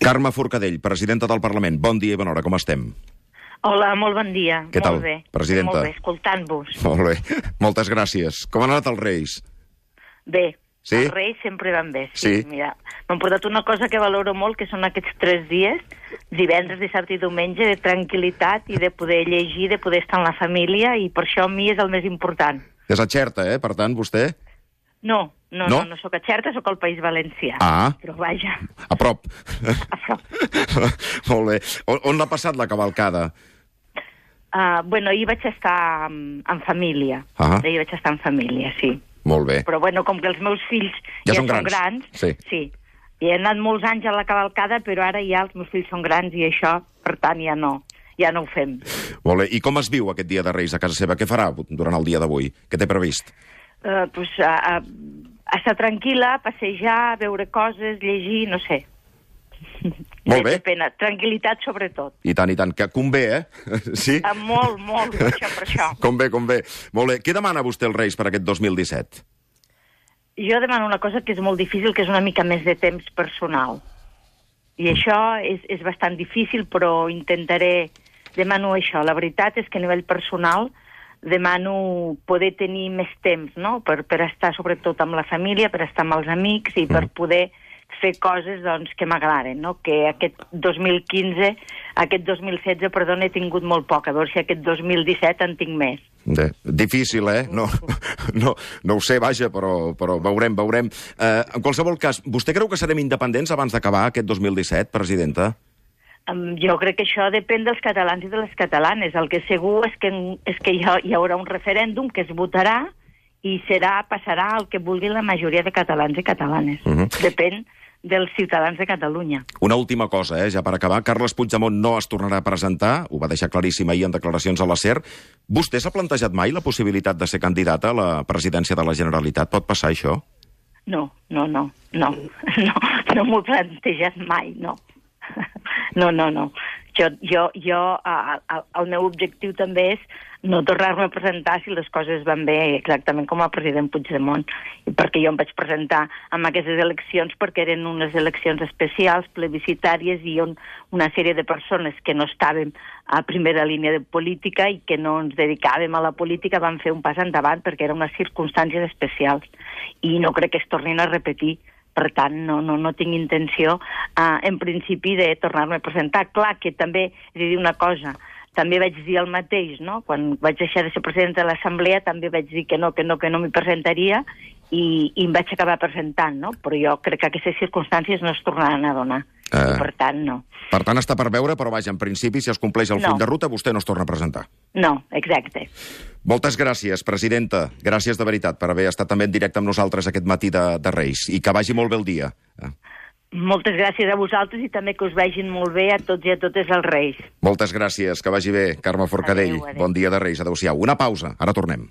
Carme Forcadell, presidenta del Parlament. Bon dia i bona hora, com estem? Hola, molt bon dia. Què tal, molt bé. presidenta? Molt bé, escoltant-vos. Molt bé, moltes gràcies. Com han anat els Reis? Bé, sí? Els Reis sempre van bé. Sí? Mira, m'han portat una cosa que valoro molt, que són aquests 3 dies, divendres, dissabte i diumenge, de tranquil·litat i de poder llegir, de poder estar amb la família, i per això a mi és el més important. És a Xerta, per tant, vostè? No sóc a Xerta, sóc al País Valencià. Ah. Però vaja. A prop. A prop. Molt bé. On l'ha passat la cavalcada? Ahir vaig estar en família. Ahir vaig estar en família, sí. Molt bé. Però com que els meus fills ja són grans, sí. I he anat molts anys a la cavalcada, però ara ja els meus fills són grans i això, per tant, ja no ho fem. Molt bé. I com es viu aquest dia de Reis a casa seva? Què farà durant el dia d'avui? Què té previst? Estar tranquil·la, passejar, veure coses, llegir, no sé. Molt bé. Tranquil·litat, sobretot. I tant, que convé, Sí? Molt, per això. Convé. Molt bé. Què demana vostè als Reis per aquest 2017? Jo demano una cosa que és molt difícil, que és una mica més de temps personal. I això és bastant difícil, però demano això. La veritat és que a nivell personal demano poder tenir més temps, no?, per estar sobretot amb la família, per estar amb els amics i per poder fer coses que m'agraden, no? Que aquest 2016, he tingut molt poc. A veure si aquest 2017 en tinc més. Difícil, No ho sé, vaja, però veurem. En qualsevol cas, vostè creu que serem independents abans d'acabar aquest 2017, presidenta? Jo crec que això depèn dels catalans i de les catalanes. El que segur és que hi haurà un referèndum que es votarà i passarà el que vulgui la majoria de catalans i catalanes. Depèn dels ciutadans de Catalunya. Una última cosa, ja per acabar. Carles Puigdemont no es tornarà a presentar, ho va deixar claríssim ahir en declaracions a la SER. Vostè s'ha plantejat mai la possibilitat de ser candidata a la presidència de la Generalitat? Pot passar això? No m'ho he plantejat mai, no. No. El meu objectiu també és no tornar-me a presentar si les coses van bé, exactament com el president Puigdemont. Perquè jo em vaig presentar en aquestes eleccions perquè eren unes eleccions especials, plebiscitàries, i on una sèrie de persones que no estàvem a primera línia de política i que no ens dedicàvem a la política van fer un pas endavant perquè eren unes circumstàncies especials. I no crec que es tornin a repetir. Per tant, no tinc intenció, en principi, de tornar-me a presentar. Clar que també, és a dir, una cosa, també vaig dir el mateix, no? Quan vaig deixar de ser presidenta de l'Assemblea també vaig dir que no m'hi presentaria i em vaig acabar presentant, no? Però jo crec que aquestes circumstàncies no es tornaran a donar. I per tant, no. Per tant, està per veure, però vaja, en principi, si es compleix el full de ruta, vostè no es torna a presentar. No, exacte. Moltes gràcies, presidenta. Gràcies de veritat per haver estat també en directe amb nosaltres aquest matí de Reis. I que vagi molt bé el dia. Moltes gràcies a vosaltres i també que us vagin molt bé a tots i a totes els Reis. Moltes gràcies, que vagi bé, Carme Forcadell. Adéu. Bon dia de Reis, adéu-siau. Una pausa, ara tornem.